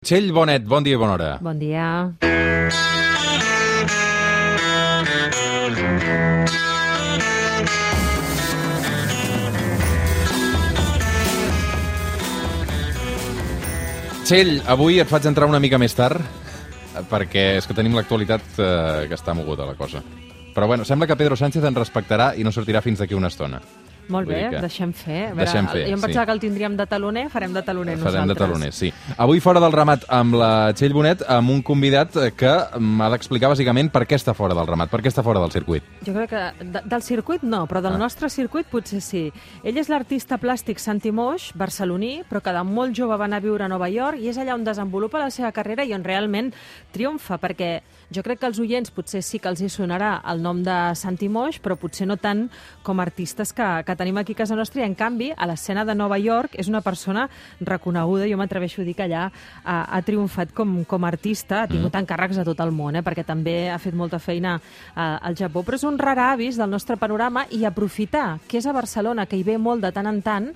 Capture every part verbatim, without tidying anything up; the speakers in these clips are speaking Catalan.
Txell Bonet, bon dia i bona hora. Bon dia. Txell, avui et faig entrar una mica més tard, perquè és que tenim l'actualitat eh, que està moguda la cosa. Però bueno, sembla que Pedro Sánchez ens respectarà i no sortirà fins d'aquí una estona. Molt bé, que... deixem fer. A veure, deixem fer, jo em pensava sí. que el tindríem de taloner, farem de taloner Farem nosaltres. Farem de taloner, sí. Avui fora del ramat amb la Txell Bonet, amb un convidat que m'ha d'explicar bàsicament per què està fora del ramat, per què està fora del circuit. Jo crec que de, del circuit no, però del ah. nostre circuit potser sí. Ell és l'artista plàstic Santi Moix, barceloní, però que de molt jove va anar a viure a Nova York i és allà on desenvolupa la seva carrera i on realment triomfa, perquè jo crec que als oients potser sí que els hi sonarà el nom de Santi Moix, però potser no tant com a artistes que, que tenim aquí a casa nostra, i en canvi a l'escena de Nova York és una persona reconeguda, jo m'atreveixo a dir que allà ha, ha triomfat com, com a artista, ha tingut mm. encàrrecs a tot el món, eh, perquè també ha fet molta feina eh, al Japó, però és un rar avis del nostre panorama i aprofitar que és a Barcelona, que hi ve molt de tant en tant,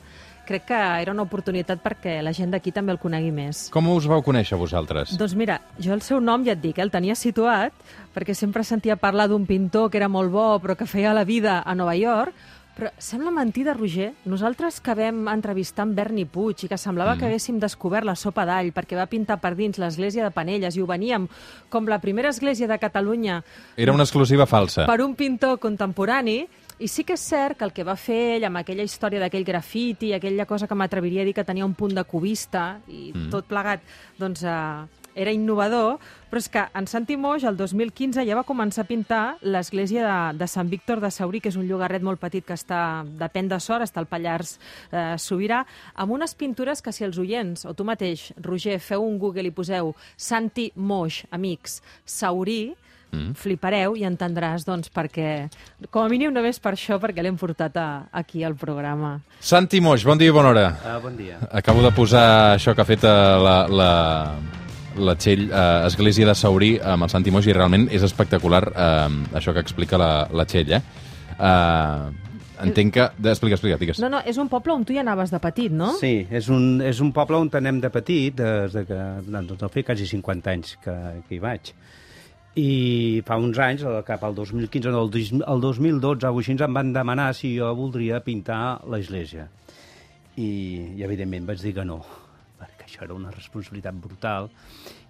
crec que era una oportunitat perquè la gent d'aquí també el conegui més. Com us vau conèixer vosaltres? Doncs mira, jo el seu nom ja et dic, eh, el tenia situat, perquè sempre sentia parlar d'un pintor que era molt bo però que feia la vida a Nova York, però sembla mentida, Roger. Nosaltres que vam entrevistar en Berni Puig i que semblava mm. que haguéssim descobert la sopa d'all perquè va pintar per dins l'església de Penelles i ho veníem com la primera església de Catalunya. Era una exclusiva falsa. Per un pintor contemporani. I sí que és cert que el que va fer ell amb aquella història d'aquell grafiti, aquella cosa que m'atreviria a dir que tenia un punt de cubista i mm. tot plegat, doncs eh, era innovador, però és que en Santi Moix el dos mil quinze ja va començar a pintar l'església de, de Sant Víctor de Saurí, que és un llogarret molt petit que està, depèn de Sort, està al Pallars eh, Sobirà, amb unes pintures que si els oients, o tu mateix, Roger, feu un Google i poseu Santi Moix, amics, Saurí, Mm. flipareu i entendràs, doncs, perquè, com a mínim només per això, perquè l'hem portat a, aquí al programa. Santi Moix, bon dia i bona hora. Uh, bon dia. Acabo de posar això que ha fet la, la, la Txell, uh, Església de Saurí, amb el Santi Moix, i realment és espectacular uh, això que explica la, la Txell, eh? Uh, entenc que... Explica, explica, digues. No, no, és un poble on tu hi anaves de petit, no? Sí, és un, és un poble on anem de petit, des de que doncs, no fa quasi cinquanta anys que, que hi vaig. I fa uns anys, cap al dos mil quinze, no, el dos mil dotze, o així, em van demanar si jo voldria pintar l'església. I, I, evidentment, vaig dir que no, perquè això era una responsabilitat brutal.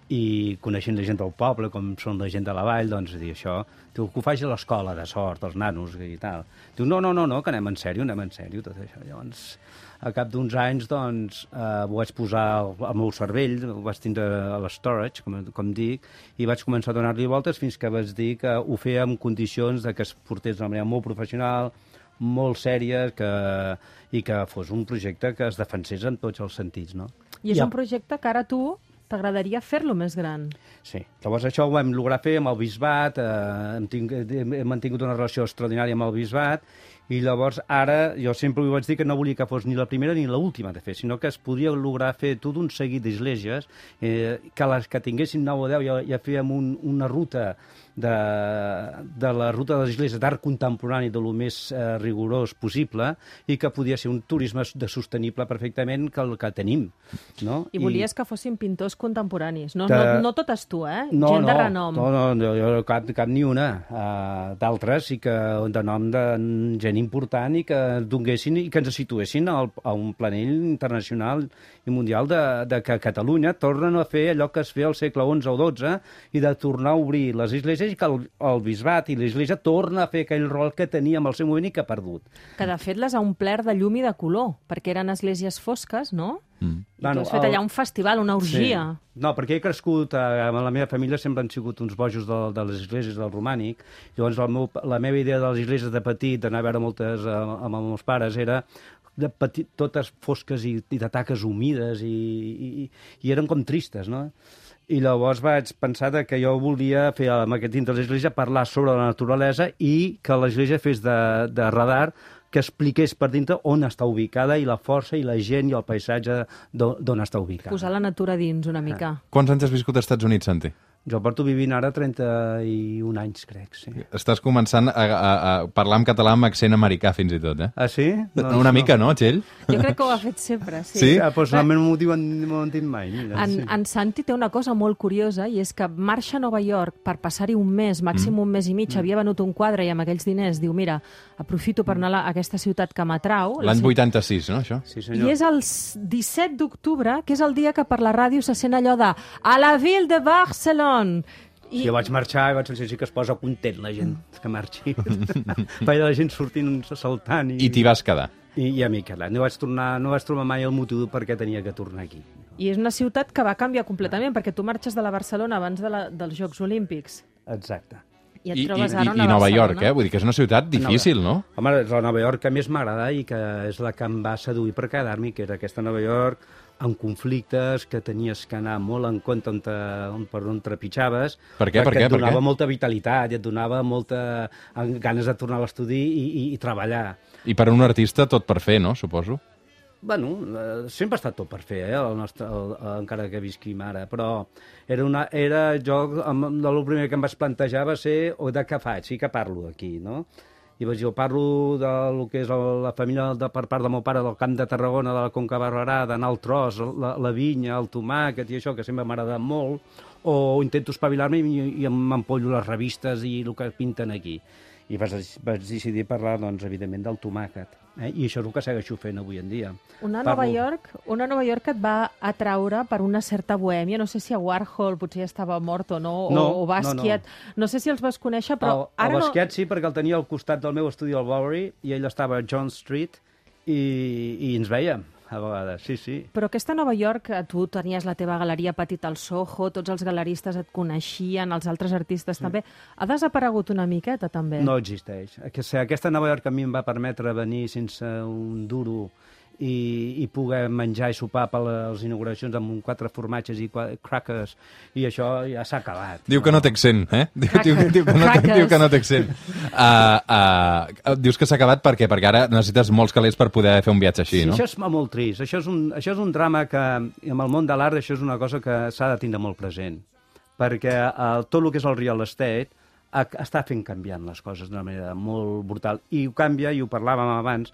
I coneixent la gent del poble, com són la gent de la vall, doncs, dir això, diu, que ho faci a l'escola de Sort, els nanos i tal. Diu, no, no, no, no, que anem en sèrio, anem en sèrio, tot això. Llavors, a cap d'uns anys, doncs, eh, ho vaig posar al, al meu cervell, ho vaig tindre a l'estorage, com, com dic, i vaig començar a donar-li voltes fins que vaig dir que ho feia en condicions de que es portés d'una manera molt professional, molt sèria, que, i que fos un projecte que es defensés en tots els sentits, no? I és ja. un projecte que ara tu t'agradaria fer-lo més gran. Sí. Llavors això ho vam lograr fer amb el bisbat, eh, hem, ting hem mantingut una relació extraordinària amb el bisbat, i llavors ara jo sempre ho vaig dir que no volia que fos ni la primera ni l'última de fer, sinó que es podia lograr fer tot un seguit d'esglésies, eh, que les que tinguessin nou o deu ja, ja fèiem un, una ruta de, de la ruta de l'església d'art contemporani de lo més eh, rigorós possible, i que podia ser un turisme de sostenible perfectament que el que tenim. No? I volies I... que fossin pintors contemporanis, no, de... no, no totes tu, eh? No, gent no, de renom. No, no, no, jo cap, cap ni una. Uh, d'altres sí que de nom de gent important i que donguessin i que ens situessin al, a un planell internacional i mundial de, de que Catalunya tornen a fer allò que es feia al segle onze o dotze i de tornar a obrir les esglésies i que el, el bisbat i l'església torna a fer aquell rol que tenia en el seu moment i que ha perdut. Que de fet les ha omplert de llum i de color, perquè eren esglésies fosques, no? Mm. I bueno, tu has fet allà un festival, una orgia. Sí. No, perquè he crescut, eh, amb la meva família sempre han sigut uns bojos de, de les esglésies del romànic, llavors el meu, la meva idea de les esglésies de petit, d'anar a veure moltes eh, amb els meus pares, era de petit, totes fosques i, i de taques humides i, i, i eren com tristes, no? I llavors vaig pensar que jo volia fer amb aquest dins de l'església parlar sobre la naturalesa i que l'església fes de, de radar que expliqués per dintre on està ubicada i la força i la gent i el paisatge d'on està ubicada. Posar la natura dins una mica. Quants anys has viscut als Estats Units, Santi? Jo porto vivint ara trenta-un anys, crec, sí. Estàs començant a, a, a parlar en català amb accent americà, fins i tot, eh? Ah, sí? Doncs Una no. mica, no, Txell? Jo crec que ho ha fet sempre, sí. Sí? Ah, doncs no m'ho diuen, m'ho han dit mai. Mira, en, sí. en Santi té una cosa molt curiosa, i és que marxa a Nova York per passar-hi un mes, màxim mm. un mes i mig, mm. havia venut un quadre i amb aquells diners diu, mira, aprofito per anar a aquesta ciutat que m'atrau. L'any vuitanta-sis, no, això? Sí, senyor. I és el disset d'octubre, que és el dia que per la ràdio se sent allò de a la ville de Barcelona. I... Sí, jo vaig marxar i vaig sentir que es posa content la gent que marxi. Veia la gent sortint, saltant. I, I t'hi vas quedar. I, i a mi quedar. No vaig, tornar, no vaig trobar mai el motiu per què tenia que tornar aquí. I és una ciutat que va canviar completament, perquè tu marxes de la Barcelona abans de la, dels Jocs Olímpics. Exacte. I et I, trobes i, ara i, una i Nova Barcelona. York, eh? Vull dir que és una ciutat difícil, Nova... no? Home, és la Nova York que més m'agrada i que és la que em va seduir per quedar-m'hi, que era aquesta Nova York amb conflictes, que tenies que anar molt en compte on, te, on, per on trepitjaves. Per què? Per què? Et donava per què? molta vitalitat i et donava molta ganes de tornar a l'estudi i, i, i treballar. I per a un artista tot per fer, no? Suposo. Bueno, eh, sempre ha estat tot per fer, eh, el nostre, el, el, encara que visquim ara, però era, una, era jo, el primer que em vaig plantejar va ser o de què faig, sí que parlo aquí, no? I vaig dir, parlo del que és la família de, per part del meu pare del Camp de Tarragona, de la Conca Barberà, d'anar al tros, la, la vinya, el tomàquet i això, que sempre m'ha agradat molt, o intento espavilar-me i, i m'empollo les revistes i el que pinten aquí. I vaig, vaig decidir parlar, doncs, evidentment, del tomàquet. Eh? I això és el que segueixo fent avui en dia. Una Parlo... Nova York, una Nova York que et va atraure per una certa bohèmia. No sé si a Warhol potser ja estava mort o no, no o, o Basquiat. No, no. no sé si els vas conèixer, però el, ara el Basquiat no... sí, perquè el tenia al costat del meu estudi al Bowery i ell estava a John Street i, i ens veiem a vegades, sí, sí. Però aquesta Nova York, tu tenies la teva galeria petita al Soho, tots els galeristes et coneixien, els altres artistes sí. també. Ha desaparegut una miqueta, també? No existeix. Aquesta Nova York a mi em va permetre venir sense un duro i, i poder menjar i sopar per les inauguracions amb quatre formatges i quatre crackers, i això ja s'ha acabat. Diu que no té accent, eh? Diu, diu, diu, que, no, diu que no té accent. Uh, uh, dius que s'ha acabat per què? Perquè ara necessites molts calés per poder fer un viatge així, sí, no? Això és molt trist. Això és, un, això és un drama que, amb el món de l'art, això és una cosa que s'ha de tindre molt present. Perquè uh, tot el que és el real estate està fent canviant les coses d'una manera molt brutal. I ho canvia, i ho parlàvem abans,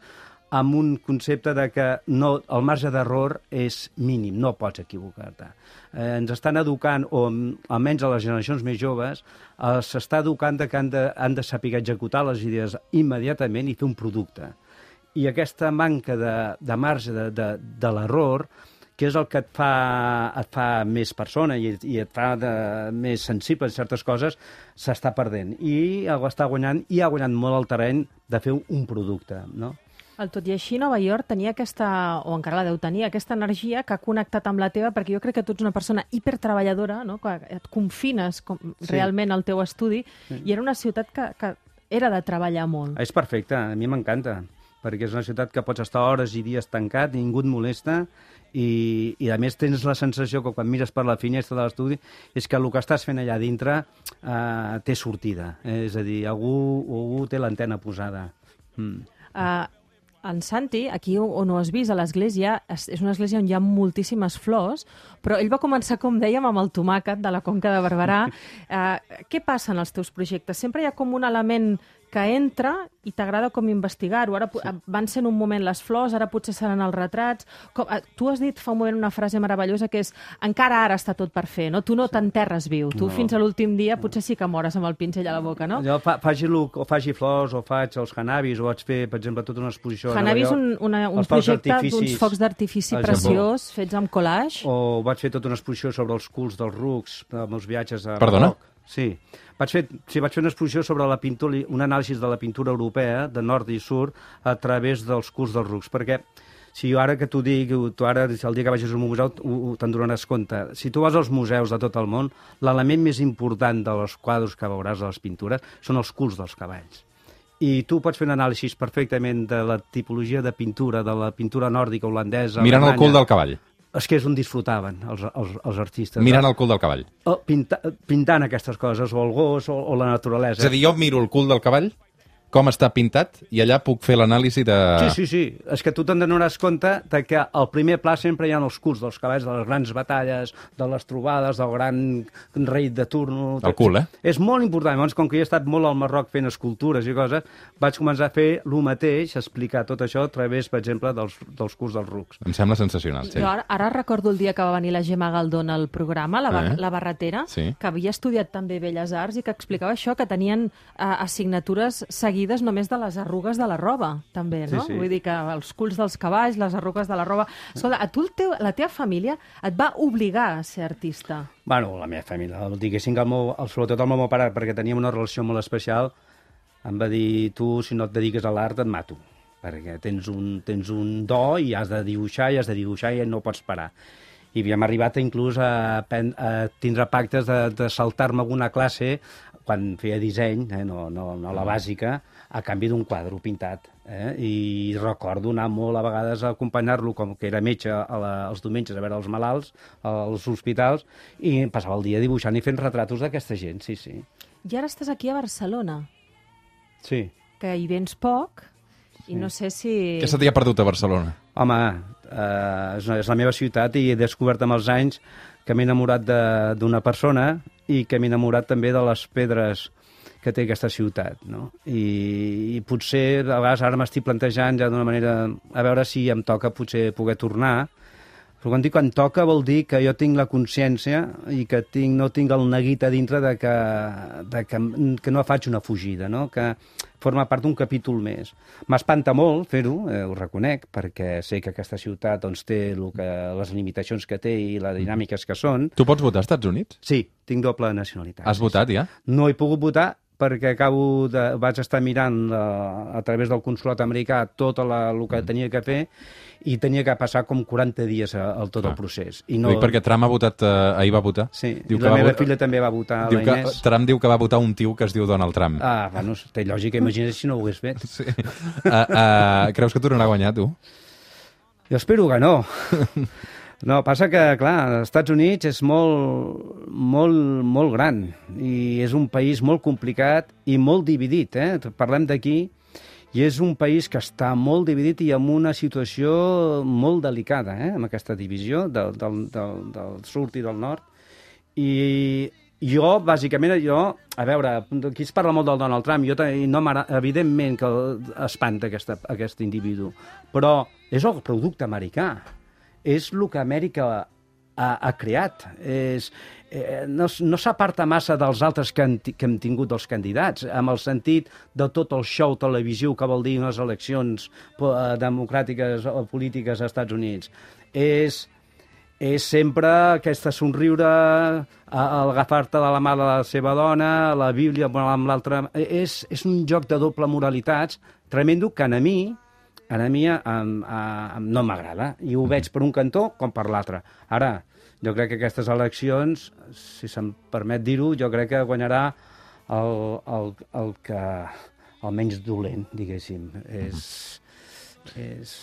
amb un concepte de que no, el marge d'error és mínim, no pots equivocar-te. Eh, ens estan educant, o almenys a les generacions més joves, eh, s'està educant de que han de, han de saber executar les idees immediatament i fer un producte. I aquesta manca de, de marge de, de, de l'error, que és el que et fa, et fa més persona i, i et fa de, més sensible a certes coses, s'està perdent. I està guanyant, i ha guanyat molt el terreny de fer un producte, no? El tot i així, Nova York tenia aquesta, o encara la deu tenir, aquesta energia que ha connectat amb la teva, perquè jo crec que tu ets una persona hipertreballadora, no? Que et confines com, sí. realment al teu estudi, sí. i era una ciutat que, que era de treballar molt. És perfecte, a mi m'encanta, perquè és una ciutat que pots estar hores i dies tancat, ningú et molesta, i, i a més tens la sensació que quan mires per la finestra de l'estudi és que el que estàs fent allà dintre eh, té sortida, és a dir, algú, algú té l'antena posada. Mm. Uh, En Santi, aquí on ho has vist, a l'església, és una església on hi ha moltíssimes flors, però ell va començar, com dèiem, amb el tomàquet de la Conca de Barberà. Uh, què passa en els teus projectes? Sempre hi ha com un element que entra i t'agrada com investigar-ho. Ara sí. van ser en un moment les flors, ara potser seran els retrats. Com, uh, tu has dit fa un moment una frase meravellosa que és encara ara està tot per fer, no? Tu no sí. t'enterres viu. Tu no. fins a l'últim dia potser sí que mores amb el pinzell a la boca, no? Jo fa, faci, o faci flors, o faig els hanabis, o vaig fer, per exemple, tota una exposició... Hanabi és un, una, un projecte d'uns focs d'artifici preciós, fets amb collage. O vaig fer tota una exposició sobre els culs dels rucs, amb els viatges a Perdona? Marroc. Sí. Vaig fer, sí, vaig fer una exposició sobre la pintura, un anàlisi de la pintura europea, de nord i sud, a través dels culs dels rucs, perquè si jo ara que t'ho dic, tu ara, el dia que vagis al museu, te'n donaràs compte. Si tu vas als museus de tot el món, l'element més important dels quadres que veuràs a les pintures són els culs dels cavalls. I tu pots fer un anàlisi perfectament de la tipologia de pintura, de la pintura nòrdica, holandesa... Mirant el cul del cavall. És que és on disfrutaven els, els, els artistes. Mirant el cul del cavall. Pinta, pintant aquestes coses, o el gos, o, o la naturalesa. És a dir, jo miro el cul del cavall com està pintat i allà puc fer l'anàlisi de... Sí, sí, sí. És que tu te'n donaràs compte de que al primer pla sempre hi ha els culs dels cavalls, de les grans batalles, de les trobades, del gran rei de turno... El cul, eh? És molt important. Llavors, com que jo he estat molt al Marroc fent escultures i coses, vaig començar a fer el mateix, explicar tot això a través, per exemple, dels, dels culs dels rucs. Em sembla sensacional, sí. Jo ara, ara recordo el dia que va venir la Gemma Galdón al programa, la, bar Eh? la barretera, Sí. que havia estudiat també Belles Arts i que explicava això, que tenien eh, assignatures seguides només de les arrugues de la roba, també, no? Sí, sí. Vull dir que els culs dels cavalls, les arrugues de la roba... Escolta, a tu el teu, la teva família et va obligar a ser artista? Bueno, la meva família, diguéssim que el meu, el, sobretot el meu pare, perquè teníem una relació molt especial, em va dir, tu, si no et dediques a l'art, et mato, perquè tens un, tens un do i has de dibuixar, i has de dibuixar i no pots parar. I havíem arribat inclús a, a tindre pactes de, de saltar-me alguna classe quan feia disseny, eh, no, no, no la bàsica, a canvi d'un quadre pintat. Eh? I recordo anar molt a vegades a acompanyar-lo, com que era metge a la, els diumenges a veure els malalts als hospitals, i passava el dia dibuixant i fent retratos d'aquesta gent, sí, sí. I ara estàs aquí a Barcelona, Sí. que hi vens poc, i no sé si... Què se t'hi ha perdut a Barcelona? Home, eh, és, és la meva ciutat i he descobert amb els anys que m'he enamorat d'una persona i que m'he enamorat també de les pedres que té aquesta ciutat, no? I, i potser, a vegades, ara m'estic plantejant ja d'una manera, a veure si em toca potser poder tornar, però quan dic que em toca vol dir que jo tinc la consciència i que tinc, no tinc el neguit a dintre de que, de que, que no faig una fugida, no? Que forma part d'un capítol més. M'espanta molt fer-ho, eh, ho reconec, perquè sé que aquesta ciutat doncs, té lo que, les limitacions que té i les dinàmiques que són. Tu pots votar als Estats Units? Sí, tinc doble nacionalitat. Has votat, ja? No he pogut votar perquè acabo de, vaig estar mirant a, a través del consolat americà tot la, el que tenia que fer i tenia que passar com quaranta dies a, a tot Clar. el procés. I no... Dic perquè Trump ha votat, eh, ahir va votar. Sí, diu i la meva va... filla també va votar, diu la que, Inés. Trump diu que va votar un tio que es diu Donald Trump. Ah, bueno, té lògica, imagina't si no ho hagués fet. Sí. Uh, uh, creus que tornarà a guanyar, tu? Jo espero que no. No, passa que, clar, els Estats Units és molt, molt, molt gran i és un país molt complicat i molt dividit, eh? Parlem d'aquí i és un país que està molt dividit i amb una situació molt delicada, eh? Amb aquesta divisió del, del, del, del sud i del nord. I jo, bàsicament, jo, a veure, aquí es parla molt del Donald Trump, jo no evidentment que espanta aquesta, aquest individu, però és el producte americà. És el que Amèrica ha, ha creat. És, eh, no no s'aparta massa dels altres que, han, que hem tingut dels candidats, amb el sentit de tot el show televisiu que vol dir unes eleccions eh, democràtiques o polítiques als Estats Units. És, és sempre aquesta somriure, agafar-te de la mà de la seva dona, la Bíblia amb l'altra... És, és un joc de doble moralitats tremendo que a mi... a mi um, um, no m'agrada, i ho veig per un cantó com per l'altre. Ara, jo crec que aquestes eleccions, si se'm permet dir-ho, jo crec que guanyarà el, el, el que el menys dolent, diguéssim. És, és...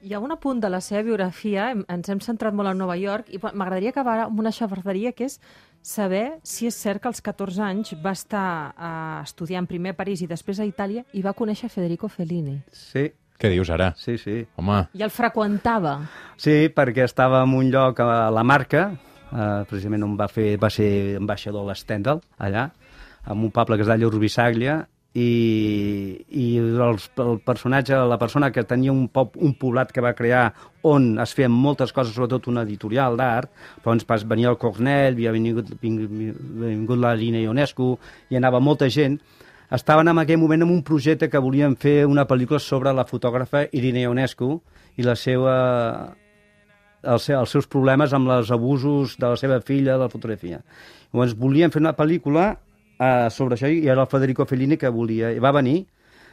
Hi ha un apunt de la seva biografia, ens hem centrat molt en Nova York, i m'agradaria acabar amb una xafarderia, que és saber si és cert que als catorze anys va estar uh, estudiant primer a París i després a Itàlia i va conèixer Federico Fellini. Sí. Què dius ara? Sí, sí. Home. I el freqüentava. Sí, perquè estava en un lloc a la Marca, eh, precisament on va, fer, va ser ambaixador a l'Stendhal, allà, en un poble que es deia Urbisàglia, i, i els, el personatge, la persona que tenia un, pop, un poblat que va crear on es feien moltes coses, sobretot una editorial d'art, doncs venia el Cornell, havia vingut, vingut la Lina Ionescu, i anava molta gent. Estaven en aquell moment en un projecte que volien fer una pel·lícula sobre la fotògrafa Irene Ionescu i la seva, els, els seus problemes amb els abusos de la seva filla de la fotografia. Llavors volien fer una pel·lícula uh, sobre això i era el Federico Fellini que volia. I va venir,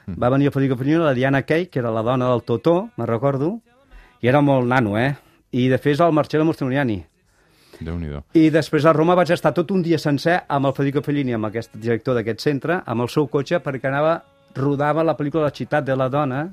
mm. va venir el Federico Fellini, la Diana Kay, que era la dona del Totó, me'n recordo, i era molt nano, eh? I després el Marcello Mastroianni. Déu-n'hi-do. I després a Roma vaig estar tot un dia sencer amb el Federico Fellini, amb aquest director d'aquest centre, amb el seu cotxe, perquè anava, rodava la pel·lícula La ciutat de la dona,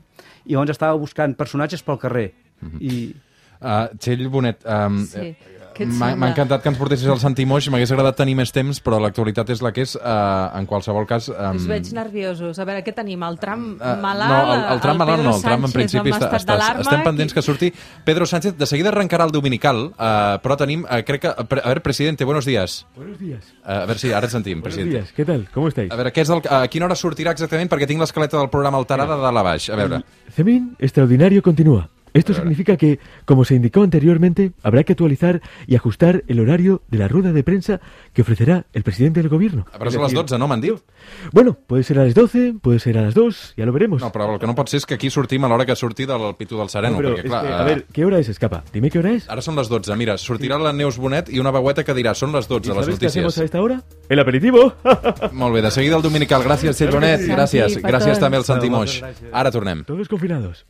i llavors estava buscant personatges pel carrer. Mm-hmm. I... Uh, Txell Bonet, um, Sí. M'ha encantat que ens portessis al Santi Moix, m'hagués agradat tenir més temps, però l'actualitat és la que és. Uh, en qualsevol cas... Um... Us veig nerviosos. A veure, què tenim? El tram uh, malalt? No, el, el tram el malalt no, el tram en Sánchez principi està, està, estem pendents que surti Pedro Sánchez. De seguida arrencarà el dominical, uh, però tenim, uh, crec que... A ver, presidente, buenos días. Buenos días. Uh, a ver, sí, ara et sentim, buenos presidente. Días, ¿qué tal? ¿Cómo estáis? A veure, què és el, a quina hora sortirà exactament? Perquè tinc l'escaleta del programa alterada de dalt a baix. A veure. El C E M I N extraordinario continúa. Esto significa que, como se indicó anteriormente, habrá que actualizar y ajustar el horario de la rueda de prensa que ofrecerá el presidente del gobierno. Però és a les dotze, no m'han dit? Bueno, puede ser a las doce, puede ser a las dos, ya lo veremos. No, però el que no pot ser és que aquí sortim a l'hora que surti del Pitu del Sereno. No, pero perquè, es clar, que, a ver, ¿qué hora es, Escapa? Dime qué hora es. Ara són les dotze, mira, sortirà la Neus Bonet i una veueta que dirà, són les dotze, les ¿Sabes qué hacemos notícies. a esta hora? El aperitivo. Molt bé, de seguida el dominical. Gràcies, Txell Bonet. Sí. Gràcies. Santi, Gràcies petons. també al Santi No, Moix. moltes gràcies. Ara tornem. Todos confinados.